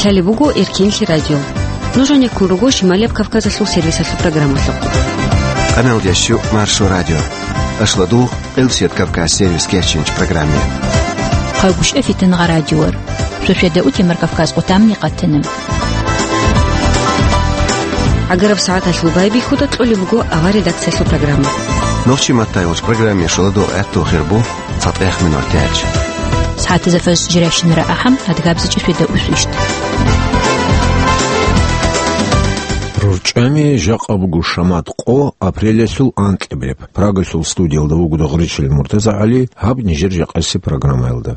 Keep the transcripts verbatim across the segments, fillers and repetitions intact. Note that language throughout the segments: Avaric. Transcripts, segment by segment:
Лъалеб буго Эркенлъи радио. Нуж гьанеккун руго Шималияб Кавказалъул сервисалъул программалъухъ. Къаналдящу Маршо радио. Ашладу Къилсият Кавказ сервис керчинч программе. Хъагушев Фитнагъа радиор. Шошеда утемар Кавказ къутамни къатана. Агараб сагӀаталъул байбихьуда кьолеб буго авар редакциялъул программа. Нохчи маттай уч программе шоладу гӀатту хирбу. ЦатӀех минутач. СагӀатазда фаз жиращинара ахӀам, адгабзичӀи феда усвищт. РурчӀами жакъа буго шамат къо апрелалъул анкьабилеб. Прагалъул студиялда вуго Дагъричил МуртазагӀали, гьаб нижер жакъаси программаялда.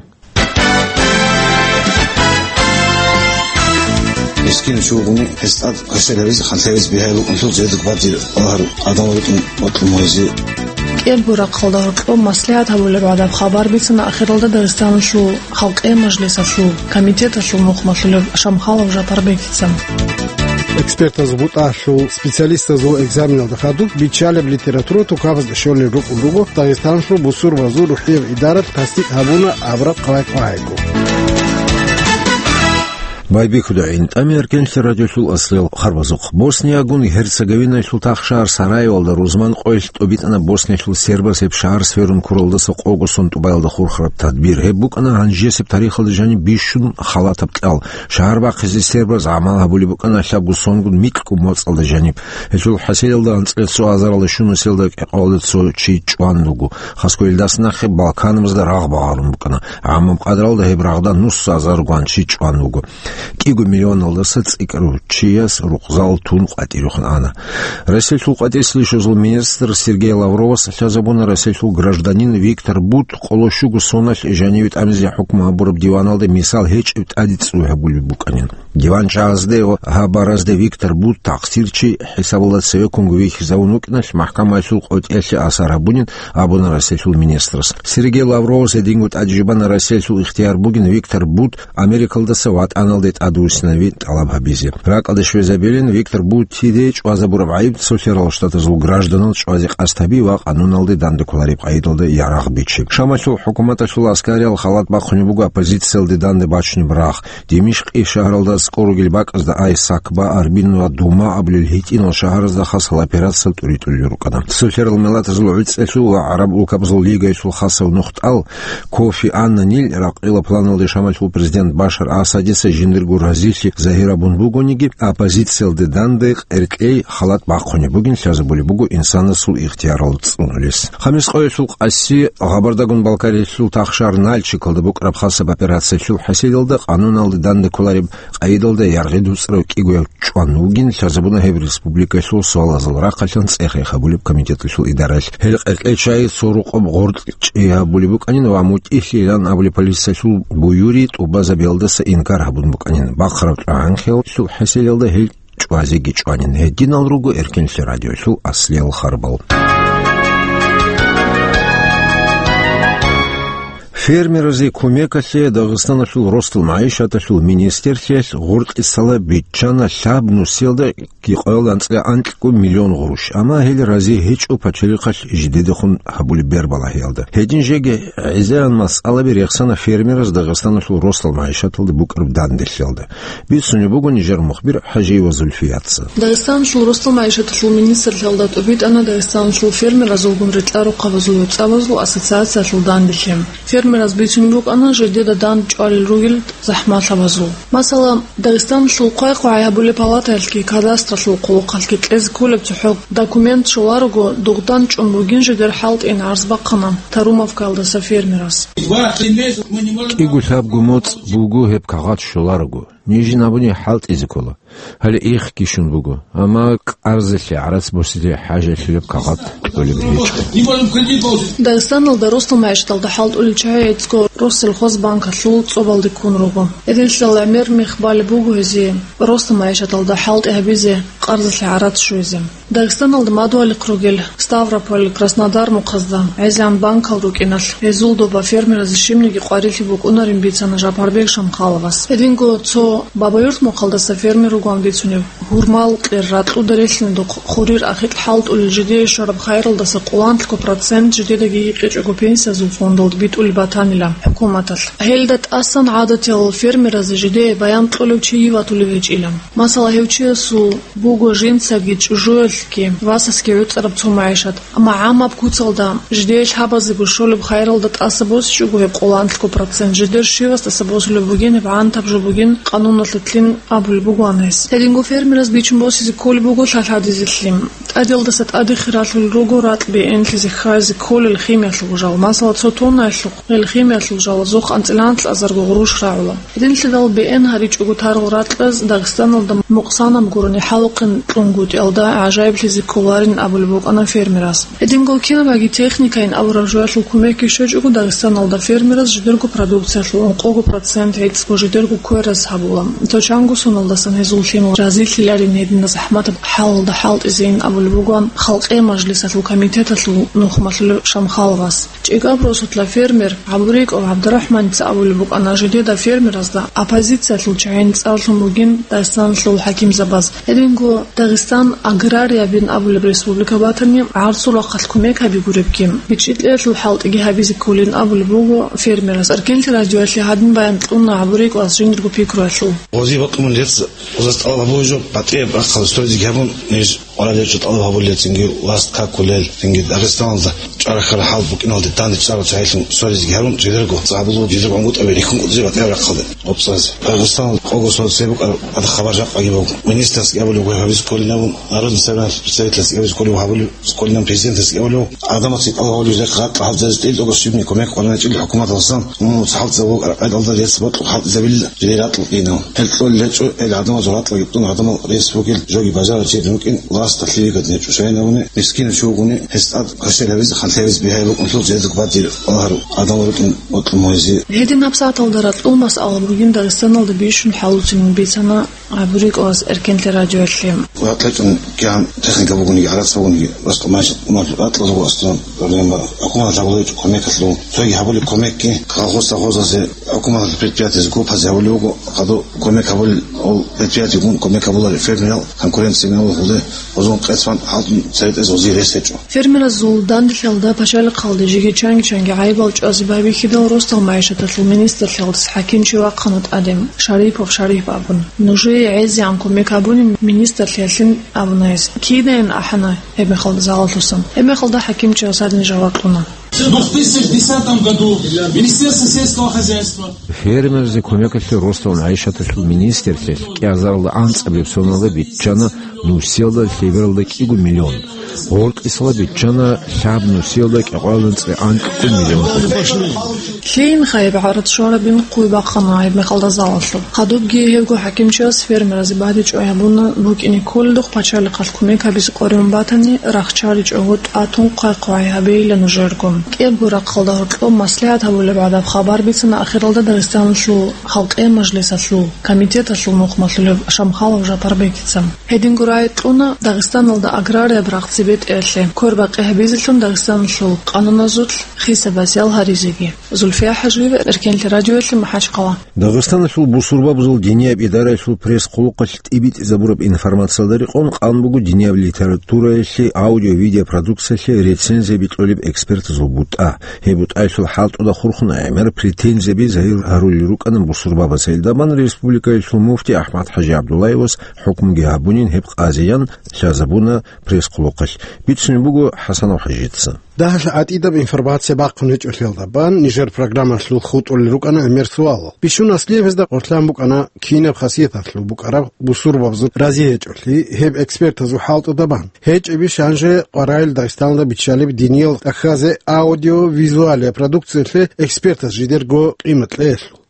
Мискин чугуни гьесдад квешелариз ханлъевиз бигьай букӀунлъул жедуг бадир агьар адамал рукӀин бокьун гьунизе. КӀиябго рахъалда гьоркьоб маслигӀат гьабулеб гӀадаб хабар бицана ахиралда Дагъистаналъул халкъиял мажлисалъул комитеталъул мухъмалъулев Шамхалов Жапарбекица. Экспертаз бутӀалъул специалистазул экзаменалда хадуб биччалеб литература тукабазда щолел рукӀун руго Дагъистаналъул бусурбазул рухӀияб идаралъ тасдикъ гьабуна абраб къвай-къвайго. Байбихьуда гӀинтӀами Эркенлъи радиолъул аслел харбазухъ. Босниягун Герцеговинаялъул тахшагьар Сараевалда рузман къоялъ тӀубитӀана Босниялъул сербаз гьеб шагьар сверун ккуралдаса къого сон тӀубаялда хурхараб тадбир. Гьеб букӀана гьанжесеб тарихалда жаниб бищун халатаб кьал. Шагьар бахъизе сербаз гӀамал гьабулеб букӀана лъабго сонгун микьго моцӀалда жаниб. Гьелъул хӀасилалда анцӀила цо азаралда щунаселда кӀикъоялда цо чи чӀван руго. Хасго илдас нахъе Балканабазда рагъ багъарун букӀана. ГӀамаб къадралда гьеб рагъда нусазаргун чи чӀван вуго. КӀиго миллионалдаса цӀикӀкӀарав чияс рукъзал тун къватӀирехун ана. Россиялъул къватӀислъи щвезул министр Сергей Лавровас лъазабуна Россиялъул гражданин Виктор Бут къоло щуго соналъ жаниве тӀамизе хӀукму гьабураб диваналда мисал гьечӀеб тӀаде цӀуй гьабулеб букӀанин. Диван чагӀазде ва гьаб баразде Виктор Бут такъсирчи хӀисабалда цевеккунго вихьизавун вукӀиналъ, махӀкамаялъул къотӀиялъе асар гьабунин абуна Россиялъул министрас. Сергей Лавровас гьединго тӀаде жубана Россиялъул ихтияр бугин Виктор Бут Америкалдаса ватӀаналде тӀадвуссинави тӀалаб гьабизе. РакӀалде щвезабилин Виктор Бутиде чӀвазабураб гӀайиб Цолъарал Штатазул гражданал чӀвазе къасд гьаби ва къануналде данде кколареб къайдалда ярагъ бичи. Шамалъул хӀукуматалъул аскариял халат бахъунеб буго оппозициялде данде бачунеб рагъ. Димишкъи шагьаралда аскӀор ругел бакӀазда Ай-Сакба, Арбин ва Дума абулел гьитӀинал шагьаразда хасал операция тӀуритӀулел рукӀана. Цолъарал миллатазул гӀуцӀелъул ва ГӀараб улкабазул лигаялъул хасав нухтӀал Кофи Аннанил ракъила планалде Шамалъул президент Башар Асадица жиндирго разилъи загьир абун бугониги, оппозициялде данде къеркьей халат бахъунеб бугин лъазабулеб буго инсанасул ихтиярал цӀунулес. Хамис къоялъул къаси Гъабардагун Балкариялъул тахшар Нальчикалда букӀараб хасаб операциялъул хӀасилалда къануналде данде кколареб къайдалда яргъи дуцӀарав кӀигояв чӀван вугин лъазабуна гьеб республикалъул суалазул рахъалъан цӀех-ех гьабулеб комитеталъул идаралъ. Гьел къеркьей чагӀи цо рукъоб гъоркь чӀей гьабулеб букӀанин ва мутӀигьлъилан абулеб полициялъул буюри тӀубазабиялдаса инкар гьабун букӀанин. Бахъараб тӀагӀан-хиялъул хӀасилалда гьел чӀвазеги чӀванин. Гьединал руго Эркенлъи радиолъул аслиял харбал. Фермеразе кумекалъе Дагъистаналъул росдал магӀишаталъул министерлъиялъ гъоркьисала биччана лъаб нусиялда кӀикъоялда анцӀила анкьго миллион гъурущ, амма гьел рази гьечӀо пачалихъалъ жидедехун гьабулеб бербалагьиялда. Гьедин жеги гӀезегӀан масъалаби рехсана фермераз Дагъистаналъул росдал магӀишаталда букӀараб данделъиялда. Бицунеб буго нижер мухбир ХӀажиева Зульфияца. Дагъистаналъул росдал магӀишаталъул министрлъиялда тӀубитӀана Дагъистаналъул фермеразулгун рекьарухъабазул гӀуцӀабазул ассоциациялъул данделъи. Фермераз бицунеб букӀана жидеда дандчӀвалел ругел захӀмалъабазул. Масала, Дагъистаналъул хъвай-хъвай гьабулеб палатаялъги кадастралъул хъулухъалъги кьезе кколеб цохӀо документ щоларого дугъдан чӀун бугин жидер хӀалтӀин гӀарз бахъана Тарумовкаялдаса фермерас. КӀиго-лъабго моцӀ буго гьеб кагъат щоларого. Нижин абуни хӀалтӀизе ккола. Гьале ихги щун буго, амма къарзалъе гӀарац босизе хӀажалъулеб кагъат кьолеб гьечӀо. Дагъистаналда росдал магӀишаталда хӀалтӀулел чагӀи гӀицӀго Россельхозбанкалъул цӀобалде ккун руго. Гьединлъидал гӀемер мех балеб буго гьезие росдал магӀишаталда хӀалтӀи гьабизе, къарзалъе гӀарац щвезе. Дагъистаналда мадугьалихъ ругел Ставрополь, Краснодар нухъазда гӀезегӀан банкал рукӀиналъ, гьезул доба фермеразе щибниги къварилъи букӀунарин бицана Жапарбек Шамхаловас. Гьединго цо Бабаюрт нухъалдаса фермер вугоан бицунев, гьурмал кьер ракьуда релълъиндухъ хурир ахикь хӀалтӀулел жидее щвараб хайралдаса къоланлъго процент жидедаги гьикъичӀого пенсиязул фондалда битӀулеб батанила. хъуматалъ. Гьелда тӀасан гӀадатиял фермеразе жидее баян кьолев чи ватулев гьечӀила. Масала, гьев чиясул буго жинцаги чӀужуялъги васасги гӀуцӀараб цо магӀишат. Амма гӀамаб куцалда жидее лъабазего щолеб хайралда тӀаса босичӀого гьеб къоло анлъго процент, жидер щивас тӀаса босулеб бугин, гьеб гӀантаб жо бугин, къануналъулъин абулеб бугоан гьес. Гьединго фермераз бичун босизе кколеб буго лъалъадизелъи. ТӀадалдаса тӀаде хиралъулел руго ракь бегӀенлъизе хьвазе кколел химиялъул жал. Масала, цо тоннаялъухъ гьел химиялъул жалазухъ анцӀила анлъазарго гъурущ рагӀула. Гьединлъидал бегӀен гьаричӀого тарал ракьаз Дагъистаналда мукъсанаб гурони хӀалухъин кьунгутӀиялда гӀажаиблъизе кколарин абулеб букӀана фермерас. Гьединго кинабаги техникайин абураб жоялъул кумекги щвечӀого, Дагъистаналда фермераз жидерго продукциялъул ункъого процент гӀицӀго жидерго квераз гьабула. Цо чанго соналдасан гьезул лъимал разилъиларин гьединаб захӀматаб хӀалалда хӀалтӀизейин абулеб бугоан Халкъи мажлисалъул комитеталъул нухмалъулев Шамхаловас. ЧӀикӀаб росулъа фермер ГӀабурикӀов ГӀабдурахӀманица абулеб букӀана, жидеда фермеразда оппозициялъул чагӀи цӀарлъун бугин Дагъистаналъул хӀакимзабаз. Гьединго Дагъистан аграриябин абулеб республика батани, гӀарцул рахъалъ кумек гьаби гуребги, бичӀчӀи кьеялъул хӀалтӀиги гьабизе кколин абулеб буго фермерас. Эркенлъи радиоялъе гьадин баян кьуна ГӀабурикӀовас жиндирго пикруялъул. Гъозие бокьун рецц гъоза тӀалаб гьабулеб жо, батӀияб рахъалда соризеги гьабун, ниж къварал гьечӀо тӀалаб гьабулел, цинги власт какулел, цинги Дагъистаналда чӀвара-хьара хӀал букӀиналде данде чӀарал чагӀилъун соризеги гьарун, жидерго гьабулеб, жидерго гӀунгутӀаби рихьун кӀудизе батӀияб рахъалде гъоб цӀазе. Дагъистаналда къого сордоз гьеб букӀараб, ада хабар жакъаги буго. Министрасги абулеб бугеб гьабизе кколин абун, народный собраниялъ представительасги абизе кколеб гьабулеб, кколин абун президентасги абулеб. Гьадамаца тӀалаб гьабулеб жидехъа гьакъа гьабзазе тӀил тӀогос щибни кумек къваригӀинчӀел хӀукуматалдасан, умумуца хӀалтӀизаб буго ракӀалда рецц бокьун хӀалтӀизабила жидер ракьул кӀинав. Гьел кьолел гьечӀо, гьел гӀадамазул ракьалги тӀун гӀадамал рес бугел жоги бажарав чи рукӀин власталъ лъикӀаб гьечӀо. Шайин абуни, мискинав чи вугони, гьес тӀад квешел гьабизе, хъантӀи гьабизе бигьаяб букӀун лъул жидерго батӀи балагьарав гӀадамал рукӀин бокьун бугезе. Гьедин гьабсагӀаталда ракьул масъала бугин Дагъистаналда бищун хӀалуцин бицана ГӀабурикӀовас Эркенлъи радиоялъе. ВатӀлъечӀун кигӀан техника бугониги, гӀарац бугониги, росла мачӀ умал ракьалда буго аслан проблема. ХӀукуматалъ гьабулеб гьечӀо кумекалъул. Цоги гьабулеб кумекги колхоз-совхозазе, хӀукуматалъ предприятиезе, группазе гьабулеб буго, хадуб кумек гьабулел, ол предприятиегун кумек гьабуларел фермерал конкуренция мегьула гьелде, гъозун къецӀан хӀалтӀун церетӀезе гъозие рес гьечӀо. Фермеразул данделъиялда пачалихъалде жеги чанги-чанги гӀайибал чӀвазе байбихьидал, росдал магӀишаталъул министрлъиялдаса хӀакимчи вахъана тӀаде, Шарипов Шариф абун. Нужее гӀезегӀан кумек гьабуни министрлъиялъин абуна гьес. Кидайин ахӀана гьеб мехалда залалъусан. Гьеб мехалда хӀакимчияс гьадин жаваб кьуна. В две тысячи десятом году Министерство сельского хозяйства. Фермерзабазде кумекалъе росдал магӀишаталъул министрлъиялъ кӀиазаралда анцӀабилеб соналда биччана нусиялда лъебералда кӀиго миллион. Гъоркьисалда биччана лъаб нусиялда кӀикъоялда анцӀила анкьго миллион. Лъиин хайиб гӀарацӀ щварабин хъуй бахъана гьеб мехалда залалъуб. Хадубги гьевго хӀакимчияс фермеразе бадиб чӀвай гьабуна, букӀине кколелдухъ пачалихъалъ кумек гьабизе къваригӀун батани, рахчаричӀого тӀатун хъвай-хъвай гьабейила нужерго. КӀиябго рахъалда гьоркьоб маслигӀат гьабулеб гӀадаб хабар бицана ахиралда Дагъистаналъул Халкъи мажлисалъул комитеталъул нухмалъулев Шамхалов Жапарбекица. Гьединго рагӀи кьуна Дагъистаналда аграрияб рагъ цебетӀеялъе квербакъи гьабизелъун Дагъистаналъул къануназулъ хисаб-ял гьаризеги. Зульфия Хажиева, Эркенлъи радиоялъе, МахӀачхъала. Дагъистаналъул бусурбабазул динияб идараялъул пресс-хъулухъалъ тӀибитӀизабураб информациялда рекъон къан буго динияб литератураялъе аудио-видеопродукциялъе рецензияби кьолеб экспертазул бутӀа. Гьеб бутӀаялъул хӀалтӀуда хурхун гӀемер претензияби загьир гьарулел рукӀана бусурбабаз. Гьелдабан республикаялъул муфти АхӀмад-хӀажи ГӀабдуллаевас хӀукмуги гьабунин гьеб къазиян лъазабуна пресс-хъулухъалъ. Бицунеб буго ХӀасанов ХӀажица. Дагьалъ гӀатӀидаб информация бахъун гьечӀолъиялда бан нижер программалъул хутӀулел рукӀана гӀемер суалал. Бищун аслияб гьезда къорлъан букӀана кинаб хасияталъул букӀараб бусурбабазул рази гьечӀолъи гьеб экспертазул хӀалтӀуда бан. ГьечӀебищ гьанже къваригӀел Дагъистаналда биччалеб диниял тӀахьазе аудио-визуалия продукциялъе экспертаз жидерго къимат кьеялъул?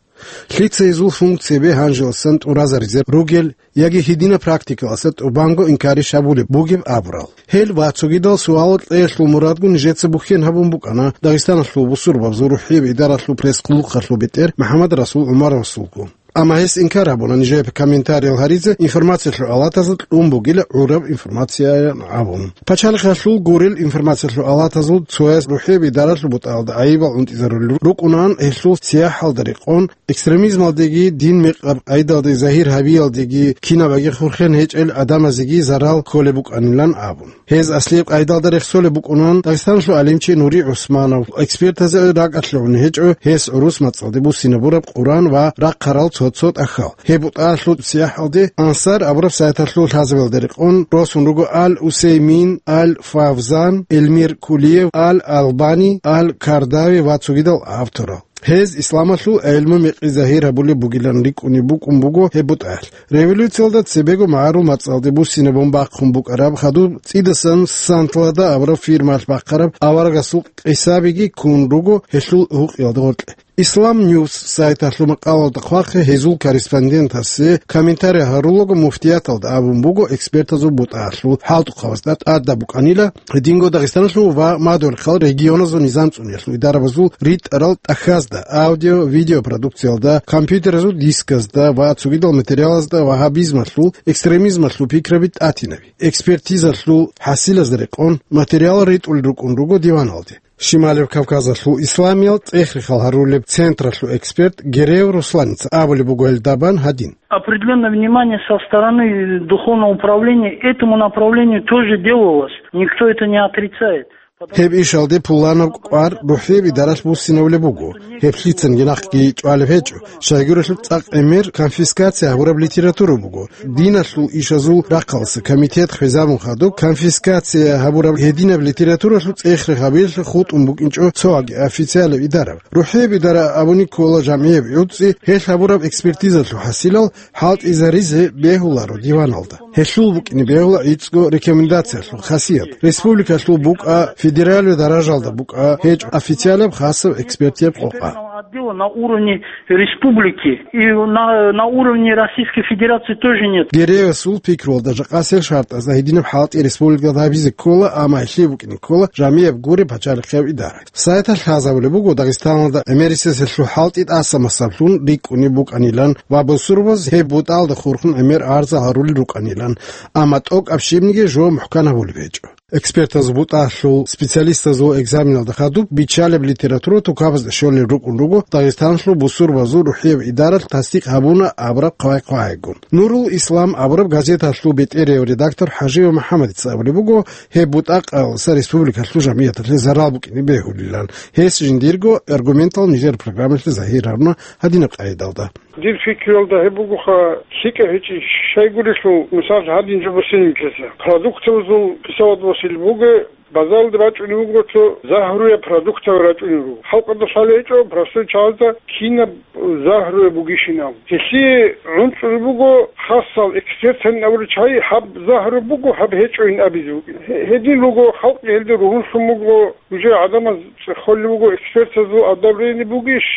Лъица гьезул функцияби гьанжеласан тӀуразаризе ругел яги гьединаб практикалъаса тӀубанго инкарищ гьабулеб бугеб абурал? Гьел ва цогидал суалал кьеялъул мурадгун нижеца бухьен гьабун букӀана Дагъистаналъул бусурбабазул рухӀияб идаралъул пресс-хъулухъалъул бетӀер МухӀаммад-Расул ГӀумаровасулго. Амма гьес инкар гьабуна нижее комментариял гьаризе информациялъул алатазда кьун бугила гӀураб информацияян абун. Пачалихъалъул гурел информациялъул алатазул цояс рухӀияб идаралъул бутӀаялда гӀайибал унтӀизарулел рукӀунан, гьелъул сияхӀалда рекъон, экстремизмалдеги дин мекъаб къайдалде загьир гьабиялдеги кинабаги хурхен гьечӀел гӀадамазеги зарал кколеб букӀанилан абун. Гьез аслияб къайдалда рехсолеб букӀунан Дагъистаналъул гӀалимчи Нури ГӀусманов. Экспертазе ракӀалъугӀун гьечӀо гьес гӀурус мацӀалде буссинабураб Къуръан ва рахъарал цо-цо тӀахьал. Гьеб бутӀаялъул сияхӀалде Ансар абураб сайталъул лъазабиялда рекъон росун руго Ал-Усеймин, Ал-Фавзан, Эльмир Кулиев, Ал-Албани, Ал-Кардави ва цогидал авторал. Гьез исламалъул гӀелму-мекъи загьир гьабулеб бугилан рикӀкӀунеб букӀун буго гьеб бутӀаялъ. Революциялда цебего магӀарул мацӀалде буссинабун бахъун букӀараб хадуб цӀидасан Сантлада абураб фирмалъ бахъараб аварагасул къисабиги ккун руго гьелъул гьукъиялда гъоркье. Ислам Ньюс сайталъул макъалаялда хъвахъе гьезул корреспондентасе комментарий гьарулаго муфтияталда абун буго экспертазул бутӀаялъул хӀалтӀухъабазда тӀадаб букӀанила, гьединго Дагъистаналъул ва Мадугьал-Рахъал регионазул низам цӀуниялъул идарабазул ритӀарал тӀахьазда, аудио-видеопродукциялда, компьютеразул дисказда ва цогидал материалазда вагьабизмалъул, экстремизмалъул пикраби тӀатинаби, экспертизалъул хӀасилазда рекъон материал ритӀулел рукӀун руго диваналде. Щималев Кавказалъул исламиял цӀех-рехал гьарулеб централъул эксперт Гереев Русланица абулеб буго гьелдабан гьадин. Определённое внимание со стороны духовного управления этому направлению тоже делалось. Никто это не отрицает. Гьеб ишалде пуланаб кӀвар рухӀияб идаралъ буссинавулеб буго. Гьеб лъицанги нахъги чӀвалеб гьечӀо. Щайгурелъул цӀакъ гӀемер конфискация гьабураб литература буго. Диналъул ишазул рахъалъа комитет хвезабун хадуб, конфискация гьабураб гьединаб литературалъул цӀех-рех гьабиялъе хутӀун букӀинчӀо цо ваги официалаб идараб. РухӀияб идара абуни ккола жамгӀияб гӀуцӀи, гьелъ гьабураб экспертизалъул хӀасилал хӀалтӀизаризе бегьуларо диваналда. Гьелъул букӀине бегьула гӀицӀго рекомендациялъул хасият. Республикалъул букӀа, федералияб даражалда букӀа, гьечӀо официалаб хасаб экспертияб къокъа. Отдела на уровне республики и на, на уровне Российской Федерации тоже нет. Гереевасул пикруялда жакъасел шартӀазда гьединаб хӀалтӀи республикалда гьабизе ккола, амма гьелъие букӀине ккола жамгӀияб гуреб пачалихъияб идара. Сайталъ лъазабулеб буго Дагъистаналда гӀемерисезелъул хӀалтӀи тӀаса-масаблъун рикӀкӀунеб букӀанилан ва бусурбаз гьеб бутӀалда хурхун гӀемер арзал гьарулел рукӀанилан, амма тӀокӀаб щибниги жо мухӀкан гьабулеб гьечӀо. Экспертаз бутӀалъул специалистазул экзаменалда хадуб биччалеб литература тукабазда щолел рукӀун руго Дагъистаналъул бусурбазул рухӀияб идаралъ тасдикъ гьабуна абураб хъвай-хъвайгун. Нурул Ислам абураб газеталъул бетӀерияв редактор ХӀажиев МухӀаммадица абулеб буго, гьеб бутӀакъалса республикалъул жамгӀияталъе зарал букӀине бегьулилан. Гьес жиндирго аргументал нижер программалъе загьир гьаруна гьадинаб къайдалда. Дир пикруялда гьеб бугоха, лъикӀаб гьечӀищ, щайгурелъул, мисал, гьадин жо босинилъеса. Продуктовазул хисавад босил буго, базаралде бачӀунеб буго цо загьруяб продуктав рачӀунеб буго. Халкъалда лъалеб гьечӀо простой чагӀазда кинаб загьруяб бугищинаб. Гьелъие гӀунтӀулеб буго хасал экспертан абурал чагӀи, гьаб загьруяб буго, гьаб гьечӀойин абизе букӀина. Гье-, гьедин руго, халкъ гьелде ругьунлъун буго, уже гӀадамаз цӀехолеб буго, экспертазул одобрение бугищ,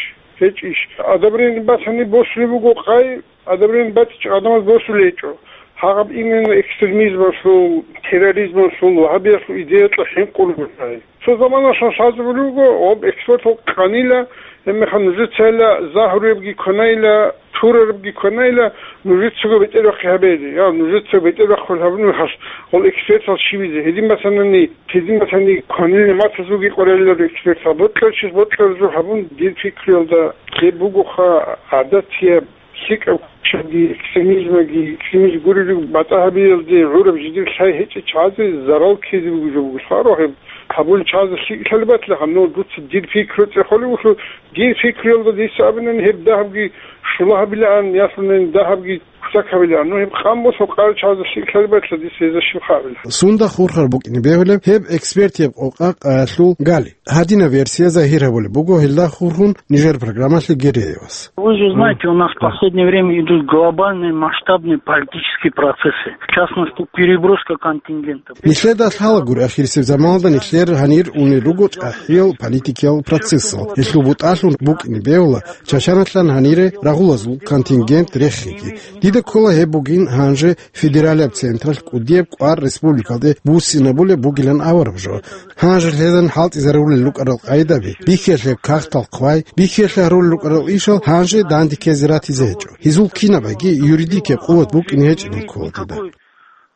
гьечӀищ. Одобрение батани босулеб буго къай, одобрение батичӀо гӀадамаз босулеб гьечӀо. Гьаб именно экстремизмалъул, терроризмалъул, вагьабиялъул идеялъул хӀинкъулеб буго къай. Цо заманалъ лъазабулеб буго, гьаб экспертал къанила, гьебмехалъ нужецайила загьруябги кванайила, турарабги кванайила, нужецаго бетӀерахъи гьабейди. Я, нужецаго бетӀерахъул гьабуни хас, гьал экспертал щибизе. Гьедин батанани, гьедин батани кванилин матазулги къвариларо экспертал. Бокьарчияс бокьараб жо гьабун, дир пикруялда гьеб бугоха гӀадатияб лъикӀаб кучаги, экстремизмаги, экстремизм гурелъул батӀа гьабиялде гӀураб жидер лъай гьечӀеб чагӀазе зарал ккезе бугеб жо буго. Лъаро гьеб гьабулел чагӀазе лъикӀ лъалеб батила, гьанив дуца дир пикру цӀехолев вугелъул, дир пикруялда дица абунани гьеб дагьабги щула гьабилаан, ясунани дагьабги кутак гьабилаан. Ну, гьеб къан босун къарачагӀазда лъикӀ лъалеб батила, дица гьезда щиб хъа абила. Сунда хурхар букӀине бегьулеб гьеб экспертияб къокъа къаялъул гали. Гьадинаб версия загьир гьабулеб буго гьелда хурхун нижер программалъе Гереевас. Вы же знаете, у нас в последнее время идут глобальные масштабные политические процессы, в частности, переброска контингентов. Нилъеда лъалагури, ахирисеб заманалда нилъер гьанир унел руго чӀахӀиял политикиял процессал. Гьелъул бутӀалъун букӀине бегьула Чачаналъан гьанире рагъулазул контингент рехиги. Дида ккола гьеб бугин гьанже федералияб централъ кӀудияб кӀвар республикалде буссинабулеб бугилан авараб жо. Гьанже лъезан хӀалтӀизарулел рукӀарал къайдаби, бихьиялъе кагътал хъвай, бихьиялъе гьарулел рукӀарал ишал гьанже данде ккезе ратизе гьечӀо. Гьезул кинабаги юридикаб къуват букӀине гьечӀеб ккола дида.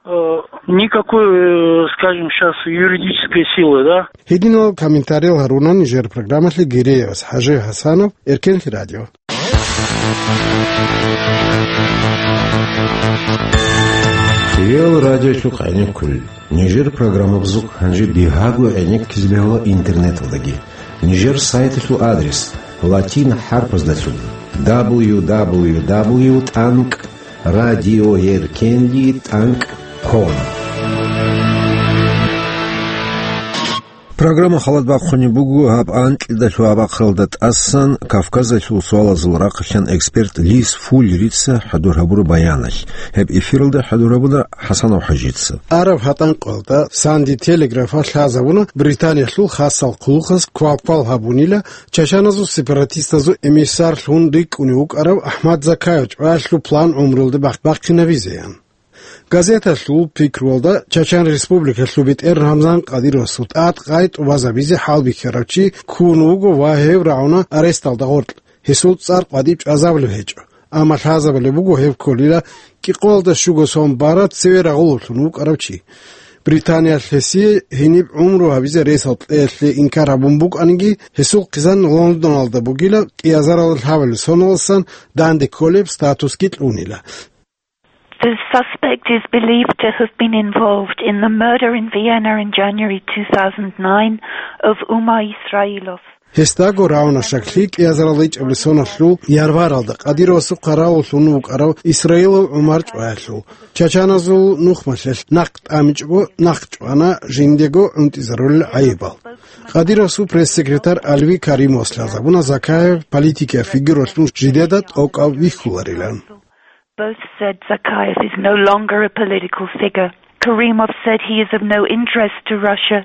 Э, никакой, э, скажем, щас юридической силы, да? Гьединал комментариял гьаруна нижер программалъе Гиреевас ХӀажи ХӀасанов, Эркенлъи радио. Ил радиолъухъ гӀенеккулел. Нижер программабазухъ гьанже бигьаго гӀенеккизе бегьула интернеталдаги. Нижер сайталъул адрес латин хӀарпаздалъун: дабл ю дабл ю дабл ю тӀанкӀ радиоеркенлъи тӀанкӀ ком. Программа халат бахъунеб буго гьаб анкьидалъул абахъалда тӀасан Кавказалъул суалазул рахъалъан эксперт Лиз Фуллерица хӀадур гьабураб баяналъ. Гьеб эфиралда хӀадур гьабуна ХӀасанов ХӀажица. Араб гьатӀанкъоялда Санди Телеграфалъ лъазабуна Британиялъул хасал хъулухъаз квалквал гьабунила чачаназул сепаратистазул эмиссарлъун рикӀкӀунев вукӀарав АхӀмад Закаев чӀваялъул план гӀумруялде бахъ-, бахъинабизеян. Газеталъул пикруялда Чачан Республикалъул бетӀер Рамзан Кадыровасул тӀад-къай тӀубазабизе хӀалбихьарав чи ккун вуго ва гьев рагӀуна аресталда гъоркь, гьесул цӀар къватӀиб чӀвазабулеб гьечӀо, амма лъазабулеб буго гьев кколила кӀикъоялда щуго сон бараб цеве рагъулевлъун вукӀарав чи. Британиялъ гьесие гьениб гӀумру гьабизе ресал кьеялъе инкар гьабун букӀаниги, гьесул хъизан Лондоналда бугила, кӀиазаралда лъабабилеб соналдасан данде кколеб статусги кьунила. The suspect is believed to have been involved in the murder in Vienna in January two thousand nine of Umar Israilov. Гьесдаго рагӀуна щаклъи кӀиазаралда ичӀабилеб соналъул Ярваралда Кадыровасухъа рагъулевлъун вукӀарав Исраилов ГӀумар чӀваялъул. Чачаназул нухмалъе нахъ тӀамичӀого нахъ чӀвана жиндего гӀунтӀизарулел гӀайибал. Кадыровасул пресс-секретарь Алви Каримовас лъазабуна Закаев политикияб фигуралъун жидеда тӀокӀав вихьуларилан. Both said Zakayev is no longer a political figure. Karimov said he is of no interest to Russia.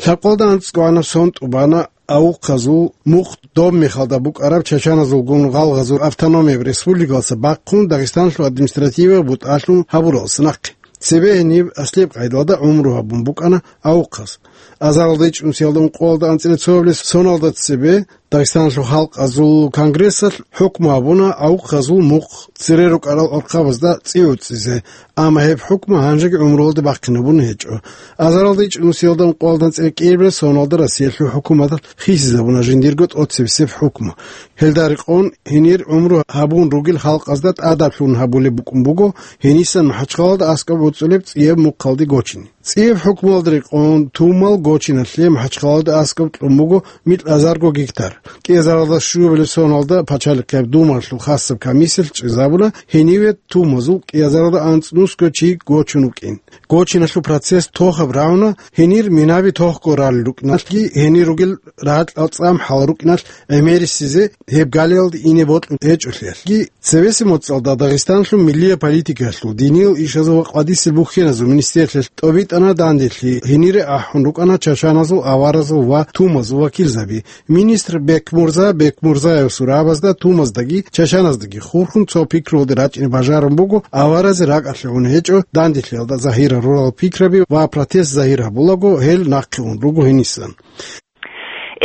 Лъабкъоялда анцӀгоанаб сон тӀубана авухъазул мухъ доб мехалда букӀараб чачаназулгун гъалгъазул автономияб республикалдаса бахъун Дагъистаналъул административияб бутӀалъун гьабуралдаса нахъе. Цебе гьениб аслияб къайдалда гӀумру гьабун букӀана авухъаз. Азаралда ичӀнусиялда ункъоялда анцӀила цоабилеб соналда цебе Дагъистаналъул халкъазул конгрессалъ хӀукму гьабуна авухъазул мухъ цере рукӀарал гӀурхъабазда цӀи гӀуцӀизе, амма гьеб хӀукму гьанжеги гӀумруялде бахъинабун гьечӀо. Азаралда ичӀнусиялда ункъоялда анцӀила кӀиабилеб соналда Россиялъул хӀукуматалъ хисизабуна жиндирго тӀоцебесеб хӀукму. Гьелда рекъон гьенир гӀумру гьабун ругел халкъазда тӀадаблъун гьабулеб букӀун буго гьенисан МахӀачхъалалда аскӀоб боцӀулеб цӀияб мухъалде гочине. ЦӀияб хӀукмуялда рекъон тумал гочиналъе МахӀачхъалалда аскӀоб кьун буго микьазарго гектар. КӀиазаралда щуабилеб соналда Пачалихъияб Думалъул хасаб комиссиялъ чӀезабуна гьениве тумазул кӀиазаралда анцӀнусго чи гочун вукӀин. Гочиналъул процесс тохаб рагӀуна, гьенир минаби тохго ралел рукӀиналъги, гьенир ругел рагӀалъ цӀам-хӀал рукӀиналъ гӀемерисезе гьеб галиялде ине бокьун гьечӀолъиялъги. Цебесеб моцӀалда Дагъистаналъул миллияб политикаялъул, диниял ишазул ва къватӀисел бухьеназул министрлъиялъ тӀобитӀана данделъи, гьенире ахӀун рукӀана чачаназул, аваразул ва тумазул вакилзаби. Министр Бекмурза Бекмурзаевасул рагӀабазда тумаздаги чачаназдаги хурхун цо пикруялде рачӀине бажарун буго, аваразе ракӀалъе гьун гьечӀо данделъиялда загьир гьарурал пикраби ва протест загьир гьабулаго гьел нахъе ун руго гьенисан.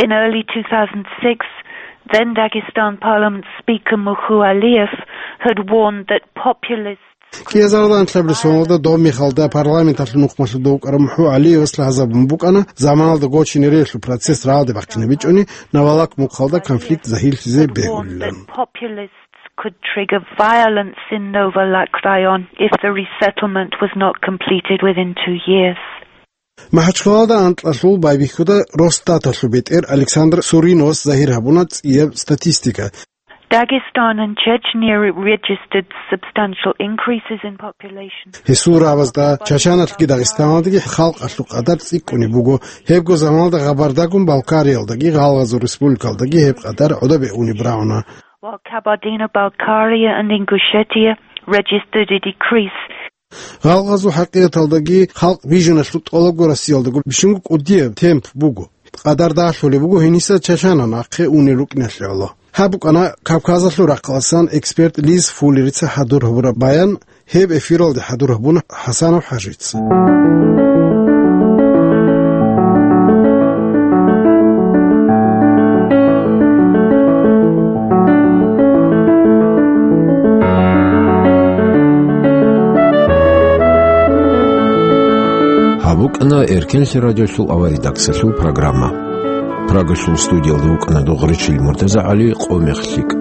In early two thousand six, then Dagestan Parliament Speaker Muhu Aliyev had warned that populists КӀиазаралда анлъабилеб соналда доб мехалда парламенталъул нухмалъуда вукӀарав МухӀу ГӀалиевас лъазабун букӀана заманалда гочине релълъун процесс рагӀалде бахъинабичӀони, Новолак мухъалда конфликт загьирлъизе бегьулилан. Populists could trigger violence in Novolak Rayon if the resettlement was not completed within two years. МахӀачхъалалда анкьалъул байбихьуда Росстаталъул бетӀер Александр Суриновас загьир гьабуна цӀияб статистика. Dagestan and Chechnya registered substantial increases in population. Гьесул рагӀабазда Чачаналъги Дагъистаналдаги халкъалъул къадар цӀикӀкӀунеб буго. Гьебго заманалда Гъабардагун Балкариялдаги Гъалгъазул республикалдаги гьеб къадар гӀодобе унеб рагӀуна. While Kabardino-Balkaria and Ingushetia registered a decrease. Гъалгъазул хӀакъикъаталдаги халкъ бижуналъул тӀолабго Россиялдаго бищунго кӀудияб темп буго. Къадар дагьлъулеб буго гьениса чачана нахъе унел рукӀиналъе гӀоло. Гьаб букӀана Кавказалъул рахъаласан эксперт Лиз Фуллерица хӀадур гьабураб баян, гьеб эфиралде хӀадур гьабуна ХӀасанов ХӀажица. Эркенлъи радиолъул аваридаксалъул программа. Прагалъул студиялда вукӀана Дугъричил МуртазагӀали, Къо-мех лъикӀ.